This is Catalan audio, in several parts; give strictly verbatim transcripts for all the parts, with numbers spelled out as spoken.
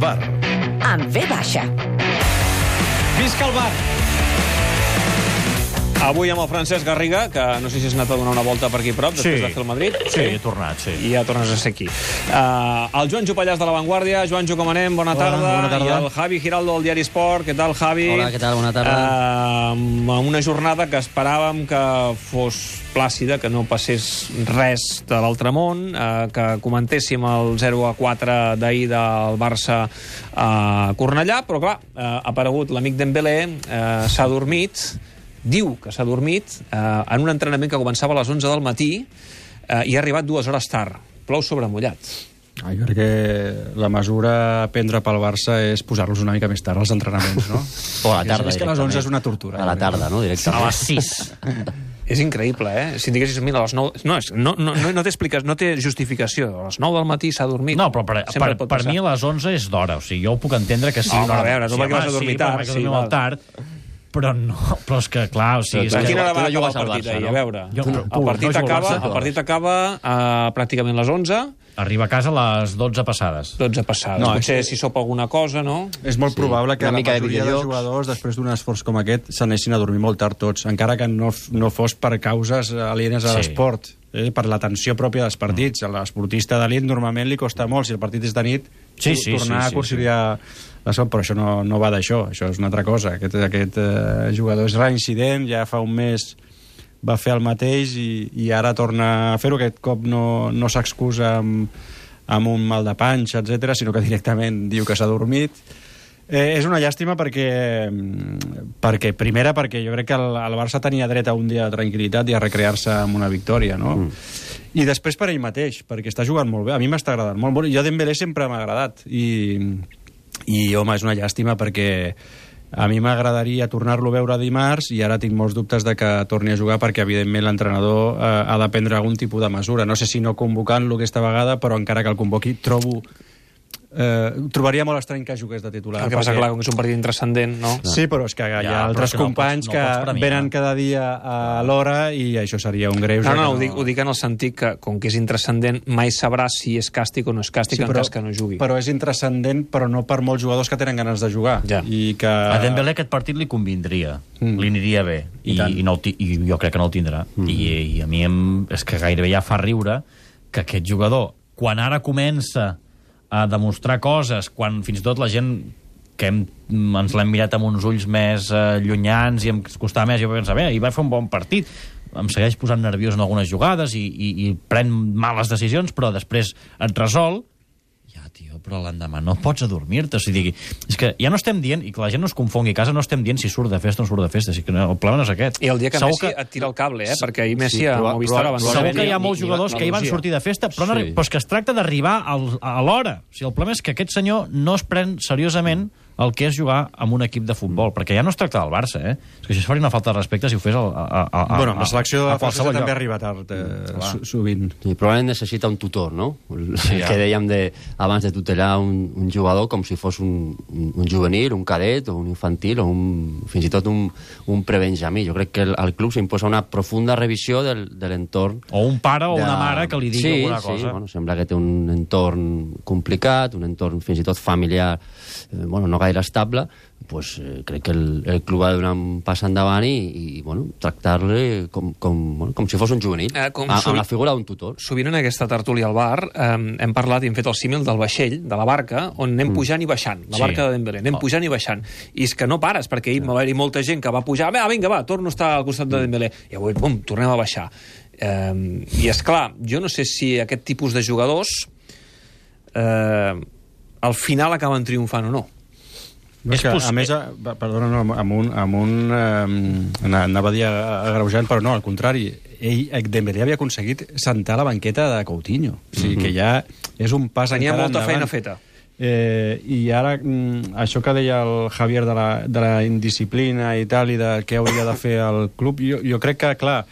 bar. Amb ve baixa. Visca el bar! Avui amb el Francesc Garriga, que no sé si has anat a donar una volta per aquí prop, després Sí. de fer el Madrid. Sí, he tornat, sí. I ja tornes a ser aquí. Uh, el Joanjo Pallàs de La Vanguardia. Joanjo, com anem? Bona Hola, tarda. bona tarda. I el Javi Giraldo del Diari Esport. Què tal, Javi? Hola, què tal? Bona tarda. Uh, una jornada que esperàvem que fos plàcida, que no passés res de l'altre món, uh, que comentéssim el zero a quatre d'ahir del Barça a Cornellà, però clar, uh, ha aparegut l'amic Dembélé, uh, s'ha dormit, diu que s'ha dormit eh, en un entrenament que començava a les onze del matí eh, i ha arribat dues hores tard. Plou sobre mullat. Ah, jo crec que la mesura a prendre pel Barça és posar-los una mica més tard als entrenaments, no? O a la tarda, És que a les onze és una tortura. A la tarda, no? Directament. A les sis. És increïble, eh? Si diguessis, mira, a les nou... No, és, no, no, no, no, té explica... no té justificació. A les nou del matí s'ha dormit. No, però per, Sempre per, pot per passar. mi a les onze és d'hora. O sigui, jo ho puc entendre que sigui Home, una a veure, tu perquè vas a home, dormir sí, tard, perquè sí, dormim val. molt tard, però no, però és que, clar, o sigui... És A que quina hora tu va no acabar jugues el al partit Barça, ahir? no? A veure, Jo- el no partit jugo al acaba, Barça. el partit acaba a pràcticament les onze, Arriba a casa a les dotze passades. dotze passades. No, Potser és- si sopa alguna cosa, no? És molt Sí, probable que una la mica de majoria de, videojocs. jugadors, després d'un esforç com aquest, s'anessin a dormir molt tard tots, encara que no, f- no fos per causes alienes a Sí. l'esport, eh? per la tensió pròpia dels partits. A l'esportista d'elit normalment li costa molt, si el partit és de nit, Sí, to- sí, tornar sí, a sí, conciliar la son, però això no, no va d'això, això és una altra cosa. Aquest, aquest eh, jugador és reincident, ja fa un mes va fer el mateix i, i ara torna a fer-ho. Aquest cop no, no s'excusa amb, amb un mal de panxa, etcètera, sinó que directament diu que s'ha dormit. Eh, és una llàstima perquè, perquè, primera, perquè jo crec que el, el Barça tenia dret a un dia de tranquil·litat i a recrear-se amb una victòria, no? Mm. I després per ell mateix, perquè està jugant molt bé. A mi m'està agradant molt. molt. Jo Dembélé sempre m'ha agradat i, i, home, és una llàstima perquè a mi m'agradaria tornar-lo a veure dimarts i ara tinc molts dubtes de que torni a jugar perquè, evidentment, l'entrenador eh, ha de prendre algun tipus de mesura. No sé si no convocant-lo aquesta vegada, però encara que el convoqui, trobo... Eh, trobaria molt estrany que jugués de titular. El que passa, clar, com que és un partit intrascendent, no? Sí, però és que hi ha Ja, però altres és que no companys pots- no pots que premiar. venen cada dia a l'hora i això seria un greu. No, no, ho dic, ho dic en el sentit que, com que és intrascendent, mai sabrà si és càstig o no és càstig Sí, en però, cas que no jugui. però és intrascendent, però no per molts jugadors que tenen ganes de jugar. Ja. I que... A Dembélé aquest partit li convindria, Mm. li aniria bé, I i, tant. i, no el ti- i jo crec que no el tindrà. Mm. I, I a mi em, és que gairebé ja fa riure que aquest jugador, quan ara comença a demostrar coses, quan fins i tot la gent que hem, ens l'hem mirat amb uns ulls més eh, llunyans i em costava més, jo vaig pensar, bé, i va fer un bon partit, em segueix posant nerviós en algunes jugades i, i, i pren males decisions, però després et resol. Ja, tio, però l'endemà no pots adormir-te. O sigui, és que ja no estem dient, i que la gent no es confongui a casa, no estem dient si surt de festa o no surt de festa. O sigui, que no, el problema no és aquest. I el dia que Segur Messi et tira el cable, eh? Perquè ahir Messi Sí, a proba- Movistar proba- abans... Segur Ni- que hi ha ni- molts ni- jugadors ni- que hi van ni- sortir de festa, però, no, Sí. però és que es tracta d'arribar al- a l'hora. O sigui, el problema és que aquest senyor no es pren seriosament el que és jugar amb un equip de futbol, perquè ja no es tracta del Barça, eh? És que això faria una falta de respecte si ho fes al, a, a, a, Bueno, la selecció a de França qualsevol també lloc. arriba tard, eh, clar. so- sovint. Sí, probablement necessita un tutor, no? El Sí, que ja. dèiem de, abans de tutelar un, un jugador com si fos un, un, un juvenil, un cadet o un infantil o un, fins i tot un, un prebenjamí. Jo crec que el, el club s'imposa una profunda revisió del, de l'entorn. O un pare o de- una mare que li digui sí, alguna sí, cosa. Bueno, sembla que té un entorn complicat, un entorn fins i tot familiar, eh, bueno, no gaire estable. Pues, eh, crec que el, el club ha de donar un pas endavant i, i bueno, tractar-le com, com, bueno, com si fos un juvenil, Eh, com a, sovint- amb la figura d'un tutor. Sovint en aquesta tertúlia al bar eh, hem parlat i hem fet el símil del vaixell, de la barca, on anem pujant i baixant, la Sí. barca de Dembélé, anem Oh. pujant i baixant. I és que no pares, perquè ahir va haver-hi molta gent que va pujar, ah, vinga, va, torno a estar al costat de Dembélé, i avui, bum, tornem a baixar. Eh, I és clar, jo no sé si aquest tipus de jugadors eh, al final acaben triomfant o no. No, és És que, poss- a més, a, va- perdona, no, amb un... Amb un eh, anava a dir agreujant, però no, al contrari. Ell, eh, Dembélé havia aconseguit sentar la banqueta de Coutinho. O sigui, que ja és un pas Tenia encara molta endavant. feina feta. Eh, I ara, mm, això que deia el Javier de la, de la indisciplina i tal, i de què hauria de fer el club, jo, jo crec que, clar,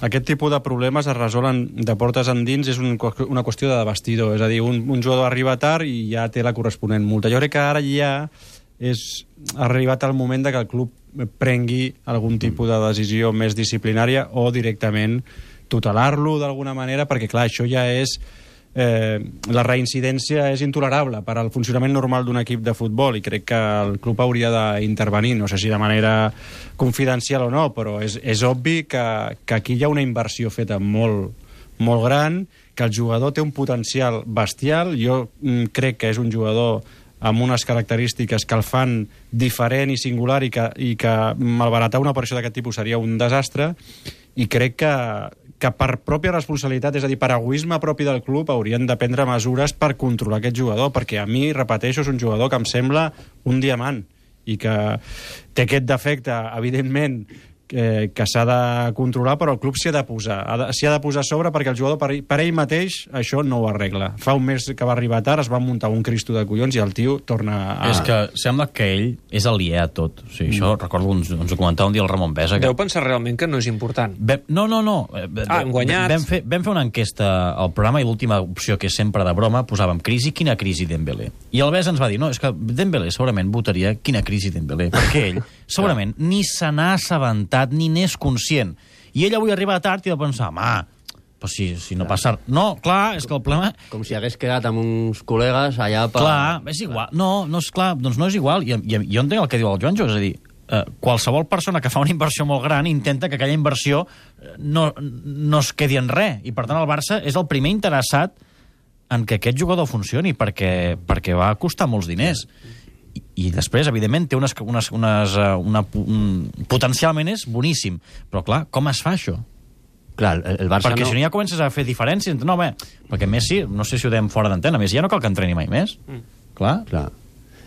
aquest tipus de problemes es resolen de portes endins, és un, una qüestió de vestidor. És a dir, un, un jugador arriba tard i ja té la corresponent multa. Jo crec que ara ja és ha arribat el moment de que el club prengui algun tipus de decisió més disciplinària o directament tutelar-lo d'alguna manera, perquè clar, això ja és eh, la reincidència és intolerable per al funcionament normal d'un equip de futbol i crec que el club hauria d'intervenir, no sé si de manera confidencial o no, però és, és obvi que, que aquí hi ha una inversió feta molt, molt gran, que el jugador té un potencial bestial. Jo mm, crec que és un jugador amb unes característiques que el fan diferent i singular i que, i que malbaratar una operació d'aquest tipus seria un desastre, i crec que, que per pròpia responsabilitat, és a dir, per egoisme propi del club, haurien de prendre mesures per controlar aquest jugador, perquè a mi, repeteixo, és un jugador que em sembla un diamant i que té aquest defecte, evidentment, que, que s'ha de controlar, però el club s'hi ha de posar s'hi ha de posar a sobre, perquè el jugador per, per ell mateix això no ho arregla. Fa un mes que va arribar tard, es va muntar un cristo de collons i el tio torna a... És que sembla que ell és aliè a tot. O sigui, mm. Això, recordo, ens, ens ho comentava un dia el Ramon Besa. Que... Deu pensar realment que no és important. Vam, no, no, no. Ah, hem guanyat. Vam fer, vam fer una enquesta al programa i l'última opció, que és sempre de broma, posàvem crisi, quina crisi Dembélé. I el Besa ens va dir, no, és que Dembélé segurament votaria quina crisi Dembélé, perquè ell segurament ni se n'ha assabentat ni n'és conscient. I ell avui arriba tard i va pensar, home, però si, si no passa... No, clar, és que el problema... Com si hagués quedat amb uns col·legues allà per... Clar, és igual. No, no és clar, doncs no és igual. I, i, jo entenc el que diu el Joanjo, és a dir, eh, qualsevol persona que fa una inversió molt gran intenta que aquella inversió no, no es quedi en res. I, per tant, el Barça és el primer interessat en que aquest jugador funcioni, perquè, perquè va costar molts diners. I, i després, evidentment, té unes, unes, unes, una, un, potencialment és boníssim. Però, clar, com es fa això? Clar, el, el Barça perquè no... si no ja comences a fer diferències. No, bé, perquè Messi, no sé si ho dèiem fora d'antena, Messi ja no cal que entreni mai més. Mm. Clar. Clar.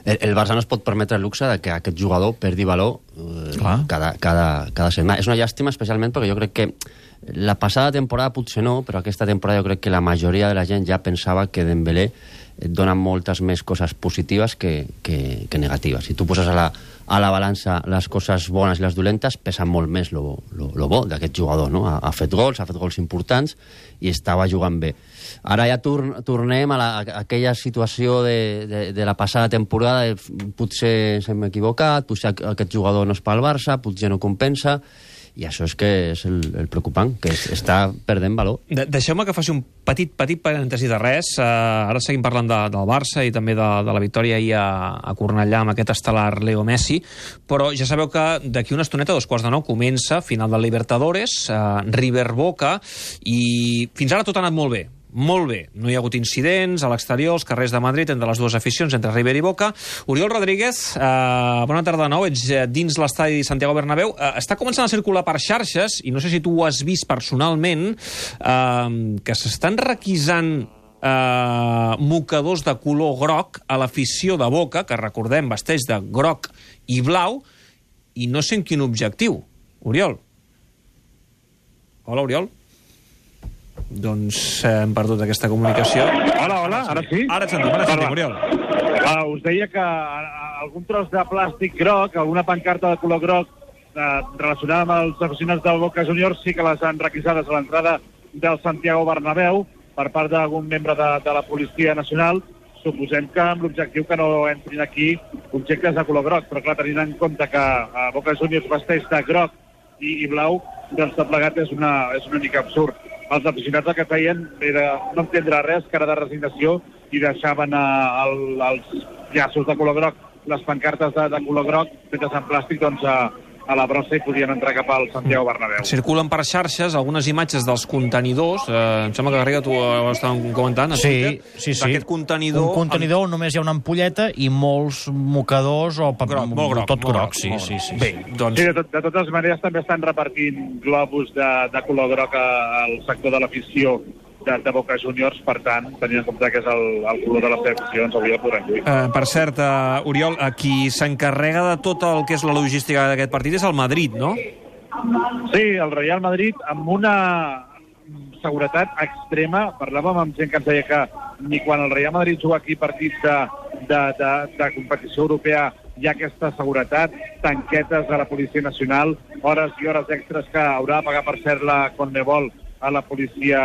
El, el Barça no es pot permetre el luxe de que aquest jugador perdi valor eh, cada, cada, cada setmana. És una llàstima, especialment perquè jo crec que la passada temporada potser no, però aquesta temporada jo crec que la majoria de la gent ja pensava que Dembélé et dona moltes més coses positives que, que, que negatives. Si tu poses a la, a la balança les coses bones i les dolentes, pesa molt més lo, lo, lo bo d'aquest jugador, no? Ha, ha fet gols, ha fet gols importants i estava jugant bé. Ara ja tor tornem a, la, a aquella situació de, de, de la passada temporada, de, potser s'hem equivocat, potser aquest jugador no és pel Barça, potser no compensa, i això és que és el, el preocupant, que es, està perdent valor. De Deixeu-me que faci un petit, petit parèntesi de res. Uh, ara seguim parlant de, del Barça i també de, de la victòria ahir a, a Cornellà amb aquest estel·lar Leo Messi, però ja sabeu que d'aquí una estoneta, a dos quarts de nou, comença final del Libertadores, uh, River Boca, i fins ara tot ha anat molt bé. Molt bé, no hi ha hagut incidents a l'exterior, als carrers de Madrid, entre les dues aficions, entre River i Boca. Oriol Rodríguez, eh, bona tarda de nou, ets dins l'estadi Santiago Bernabéu. Eh, està començant a circular per xarxes, i no sé si tu ho has vist personalment, eh, que s'estan requisant eh, mocadors de color groc a l'afició de Boca, que recordem vesteix de groc i blau, i no sé en quin objectiu. Oriol? Hola, Oriol? Doncs eh, hem perdut aquesta comunicació. Hola, hola, ara sí? Ara et sentim, ara et sentim, Oriol. Uh, us deia que uh, algun tros de plàstic groc, alguna pancarta de color groc uh, relacionada amb els aficionats del Boca Juniors sí que les han requisades a l'entrada del Santiago Bernabéu per part d'algun membre de, de la Policia Nacional. Suposem que amb l'objectiu que no entrin aquí objectes de color groc, però clar, tenint en compte que uh, Boca Juniors vesteix de groc i, i blau, doncs tot plegat és una, és una mica absurd. Els aficionats el que feien era no entendre res, cara de resignació, i deixaven a, a, als llaços de color groc, les pancartes de, de color groc, fetes en plàstic, doncs a, a la brossa i podien entrar cap al Santiago Bernabéu. Circulen per xarxes algunes imatges dels contenidors, eh, em sembla que Garriga tu ho estàvem comentant a sí, Twitter, sí, sí. d'aquest contenidor... Un contenidor on només hi ha una ampolleta i molts mocadors o groc, molt groc, tot molt groc, sí, molt sí, sí. Bé, doncs... Sí, de, tot, de totes maneres també estan repartint globus de, de color groc al sector de l'afició de, de Boca Juniors, per tant, tenint en compte que és el, el color de les seleccions, avui el podrem lluir. Uh, per cert, uh, Oriol, uh, qui s'encarrega de tot el que és la logística d'aquest partit és el Madrid, no? Sí, el Real Madrid amb una seguretat extrema. Parlàvem amb gent que ens deia que ni quan el Real Madrid juga aquí partits de, de, de, de competició europea hi ha aquesta seguretat, tanquetes de la Policia Nacional, hores i hores extres que haurà de pagar per ser la Conmebol a la policia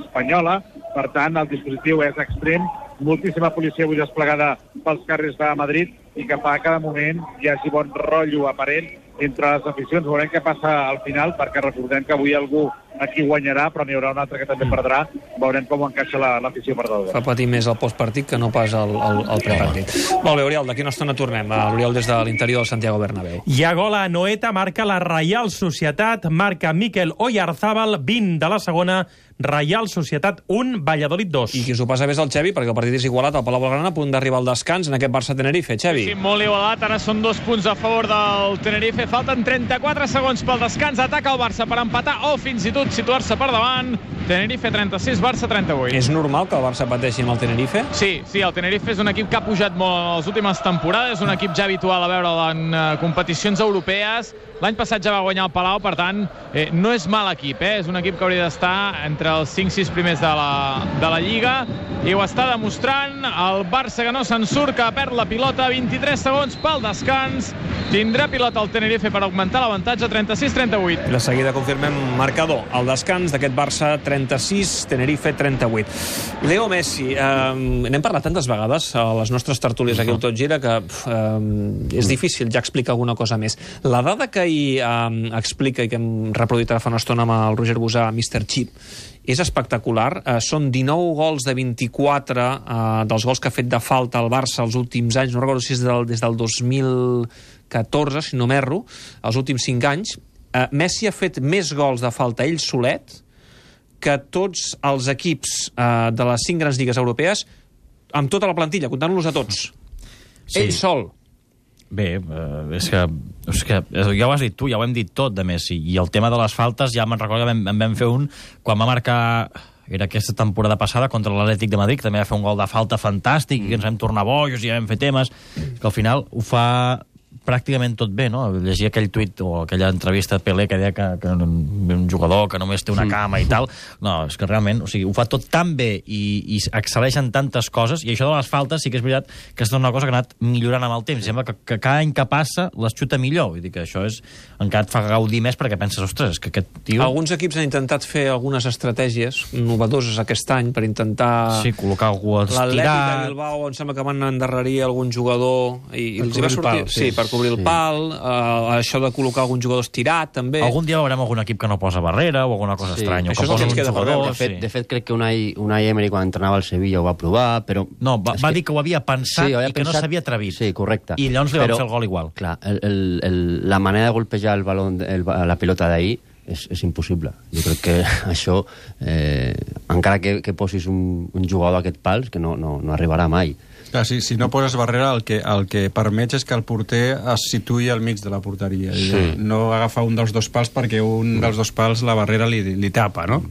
espanyola. Per tant, el dispositiu és extrem, moltíssima policia avui desplegada pels carrers de Madrid i que fa que cada moment hi hagi bon rotllo aparent entre les aficions. Veurem què passa al final, perquè recordem que avui algú a qui guanyarà, però n'hi haurà un altre que també perdrà. Veurem com encaixa l'afició perdedora. Fa patir més el postpartit que no pas el, el, el prepartit. Molt bé, Oriol, d'aquí una estona tornem. L'Oriol des de l'interior del Santiago Bernabéu. Hi ha gol a Noeta, marca la Reial Societat, marca Mikel Oyarzábal, vint de la segona, Reial Societat un, Valladolid dos. I qui s'ho passa bé és el Xevi, perquè el partit és igualat al Palau Blaugrana, a punt d'arribar al descans en aquest Barça-Tenerife. Xevi. Sí, molt igualat, ara són dos punts a favor del Tenerife, falten trenta-quatre segons pel descans, ataca el Barça per empatar o fins i tot situar-se per davant. Tenerife trenta-sis, Barça trenta-vuit. És normal que el Barça pateixi amb el Tenerife? Sí, sí, el Tenerife és un equip que ha pujat molt en les últimes temporades, un equip ja habitual a veure'l en uh, competicions europees. L'any passat ja va guanyar el Palau, per tant, eh, no és mal equip, eh? És un equip que hauria d'estar entre els cinc sis primers de la, de la Lliga, i ho està demostrant. El Barça que no se'n surt, que perd la pilota, vint-i-tres segons pel descans. Tindrà pilota el Tenerife per augmentar l'avantatge, trenta-sis trenta-vuit. De seguida confirmem marcador. El descans d'aquest Barça, trenta-sis, Tenerife trenta-vuit. Leo Messi, eh, n'hem parlat tantes vegades a les nostres tertúlies aquí al Tot Gira que eh, és difícil ja explicar alguna cosa més. La dada que ahir eh, explica i que hem reproduït ara fa una estona amb el Roger Busà, mister Chip, és espectacular. Eh, són dinou gols de vint-i-quatre eh, dels gols que ha fet de falta al Barça els últims anys. No recordo si és del, des del dos mil catorze, si no m'erro, els últims cinc anys. Eh, Messi ha fet més gols de falta ell solet que tots els equips eh, de les cinc grans lligues europees amb tota la plantilla, comptant-los a tots. Sí. Ell sol. Bé, eh, és, que, és que ja ho has dit tu, ja ho hem dit tot de Messi, i el tema de les faltes ja me'n recordo que vam, en vam fer un quan va marcar, era aquesta temporada passada contra l'Atlètic de Madrid, també va fer un gol de falta fantàstic, mm. i ens vam tornar bojos i ja vam fer temes, que al final ho fa pràcticament tot bé, no? Llegia aquell tuit o aquella entrevista de Pelé que deia que, que un jugador que només té una cama i tal. No, és que realment, o sigui, ho fa tot tan bé i, i excel·leixen tantes coses, i això de les faltes sí que és veritat que és una cosa que ha anat millorant amb el temps. Sembla que, que cada any que passa les xuta millor. Vull dir que això és, encara et fa gaudir més perquè penses, ostres, és que aquest tio... Alguns equips han intentat fer algunes estratègies innovadores aquest any per intentar... Sí, col·locar algú estirat... L'Atlètic de Bilbao em sembla que van endarrerir algun jugador i, i els hi va sortir... Pal, sí, sí, per cobrir el sí. pal, uh, això de col·locar algun jugador estirat, també. Algun dia veurem algun equip que no posa barrera o alguna cosa sí. estranya. Això és el que ens queda per veure. De fet, sí. de fet, crec que Unai, Unai Emery, quan entrenava al Sevilla, ho va provar, però... No, va, va que... dir que ho havia pensat sí, i que pensat... no s'havia atrevit. Sí, correcte. I llavors li però, van fer el gol igual. Clar, el, el, el, la manera de golpejar el balón, el, la pilota d'ahir és, és impossible. Jo crec que això, eh, encara que, que posis un, un jugador a aquest pal, que no, no, no arribarà mai. Clar, si, si no poses barrera, el que, el que permets és que el porter es situï al mig de la porteria. Sí. No agafar un dels dos pals perquè un dels dos pals la barrera li, li tapa, no?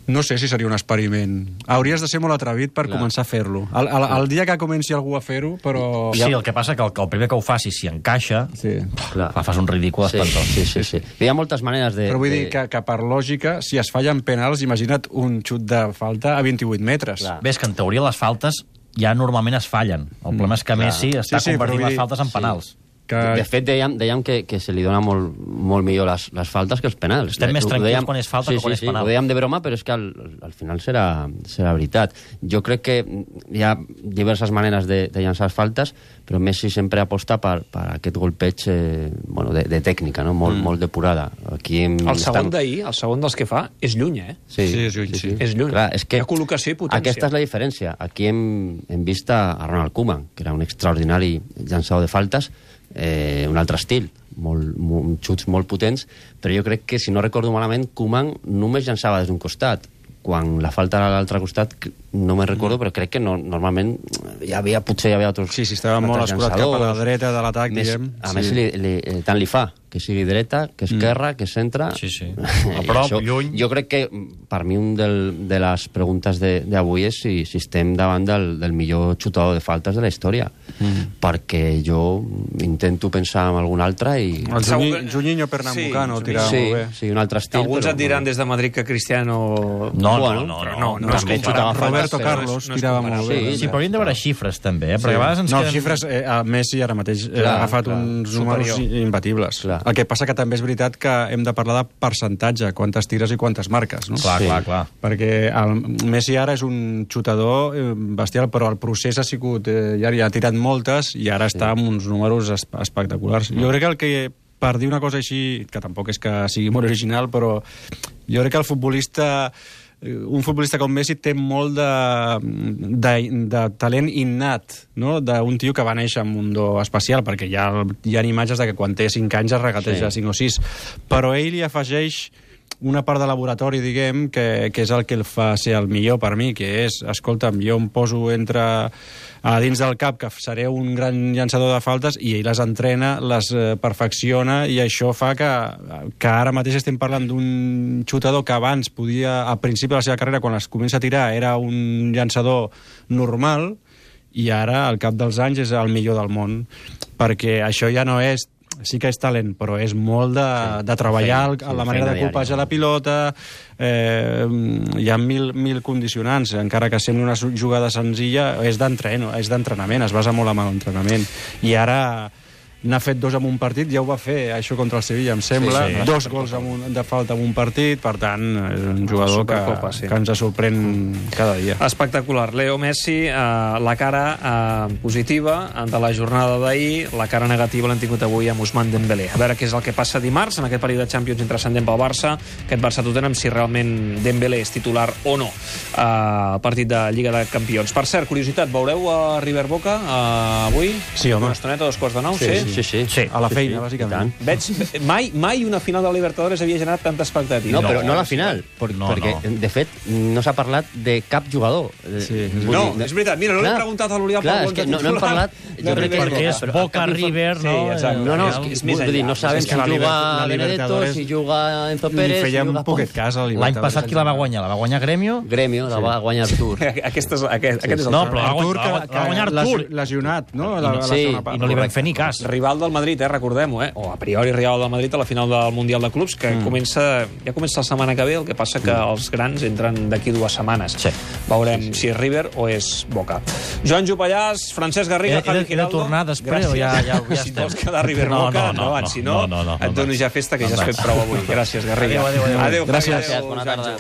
No sé si seria un experiment. Hauries de ser molt atrevit per Clar. començar a fer-lo. El, el, el dia que comenci algú a fer-ho, però... Sí, el que passa que el, el primer que ho faci, si encaixa, sí. Clar. fas un ridícul sí, espantós. Sí, sí, sí. Hi ha moltes maneres de... Però vull de... dir que, que per lògica, si es fallen penals, imagina't un xut de falta a vint-i-vuit metres. Clar. Ves que en teoria les faltes ja normalment es fallen. El problema és que Messi mm, està sí, sí, convertint les faltes en penals. Sí. Que... De fet, dèiem, dèiem que, que se li dona molt, molt millor les, les faltes que els penals. Estem més tranquils dèiem, quan és falta sí, que quan sí, és penal. Sí, ho dèiem de broma, però és que al, al final serà, serà veritat. Jo crec que hi ha diverses maneres de, de llançar faltes, però Messi sempre aposta per, per aquest golpeig eh, bueno, de, de tècnica, no? molt, mm. molt depurada. Aquí hem, el segon estan... d'ahir, el segon dels que fa, és lluny, eh? Sí, sí és lluny. Sí, sí. És lluny. Clar, és que hi ha col·locació i potència. Aquesta és la diferència. Aquí hem, hem vist a Ronald Koeman, que era un extraordinari llançador de faltes, eh, un altre estil, molt, molt, xuts molt potents, però jo crec que, si no recordo malament, Koeman només llançava des d'un costat. Quan la falta era a l'altre costat, no me'n recordo, però crec que no, normalment hi havia, potser hi havia altres Sí, sí, estava molt escurat cap a la dreta de l'atac, diguem. A sí. més, li, li, tant li fa que sigui dreta, que esquerra, mm. que centre... Sí, sí. A prop, això, lluny... Jo crec que, per mi, un del, de les preguntes d'avui és si, si estem davant del, del millor xutador de faltes de la història. Mm. Perquè jo intento pensar en algun altre i... El Juninho Pernambucano sí, tirava sí, molt bé. Sí, un altre estil. Alguns però, et diran des de Madrid que Cristiano... No, bueno, no, no, no, no, no, no, no, no, no Roberto Carlos no tirava molt bé. Sí, sí, però hauríem de veure xifres, també, eh? Perquè sí. a vegades ens no, queden... xifres, eh, a Messi ara mateix eh, clar, ha agafat clar, uns superior. números imbatibles. Clar. El que passa que també és veritat que hem de parlar de percentatge, quantes tires i quantes marques, no? Clar, Sí. clar, clar. Perquè el Messi ara és un xutador eh, bestial, però el procés ha sigut... Eh, ja, ja ha tirat moltes i ara està amb uns números es espectaculars. Jo crec que el que, per dir una cosa així, que tampoc és que sigui molt original, però Jo crec que el futbolista... un futbolista com Messi té molt de, de, de talent innat, no? D'un tio que va néixer amb un do especial, perquè hi ha, hi ha imatges de que quan té cinc anys es regateja sí. cinc o sis, però ell li afegeix una part de laboratori, diguem, que, que és el que el fa ser el millor per mi, que és, escolta'm, jo em poso entre a dins del cap que seré un gran llançador de faltes i ell les entrena, les eh, perfecciona, i això fa que, que ara mateix estem parlant d'un xutador que abans podia, al principi de la seva carrera, quan es comença a tirar, era un llançador normal, i ara, al cap dels anys, és el millor del món, perquè això ja no és sí que és talent, però és molt de, sí, de treballar sí, sí, la manera de colpejar la pilota, eh, hi ha mil, mil condicionants, encara que sembli una jugada senzilla, és d'entrenament, es basa molt en l'entrenament, i ara n'ha fet dos en un partit, ja ho va fer això contra el Sevilla, em sembla, sí, sí. dos gols un, de falta en un partit, per tant és un jugador que, sí. que ens sorprèn cada dia. Espectacular. Leo Messi, eh, la cara eh, positiva de la jornada d'ahir, la cara negativa l'han tingut avui amb Ousmane Dembélé. A veure què és el que passa dimarts en aquest període de Champions intrascendent pel Barça, aquest Barça-Tottenham, si realment Dembélé és titular o no al eh, partit de Lliga de Campions. Per cert, curiositat, veureu a River Boca eh, avui? Sí, home. Una estoneta, dos quarts de nou, sí? sí? Sí, sí, sí. A la feina, sí, sí. bàsicament. Veig, mai, mai una final de la Libertadores havia generat tanta expectativa. No, però no la final, per, no, perquè, no. de fet, no s'ha parlat de cap jugador. Sí, és no, és veritat. Mira, no l'he preguntat a l'Oriol clar, és que no, no hem parlat... Jo crec que perquè és Boca-River, no? Sí, exacte. No, no, és, que, és més enllà. Dir, no sabem si juga Benedetto, si juga Enzo Pérez... Li fèiem si poquet cas a l'any passat qui la va guanyar? La va guanyar Grêmio? Grêmio, la va guanyar Artur. Aquest és, aquest, aquest és el no, però Artur, la va guanyar Artur. Lesionat, no? Sí, i no li vam fer ni cas. Rival del Madrid, eh, recordem-ho, eh? O a priori rival del Madrid a la final del Mundial de Clubs, que mm. comença, ja comença la setmana que ve, el que passa que mm. els grans entren d'aquí dues setmanes. Sí. Veurem sí, sí. si és River o és Boca. Joan Jopallàs, Francesc Garriga, Javi Giraldo. He de tornar després o ja, ja, ja si estem? vols quedar River no, Boca, no, no, endavant. No, si no, no, no, no, et dono ja festa, que ja has fet prou avui. Gràcies, Garriga. Adéu, adéu, adéu. Adéu, Gràcies, bona tarda.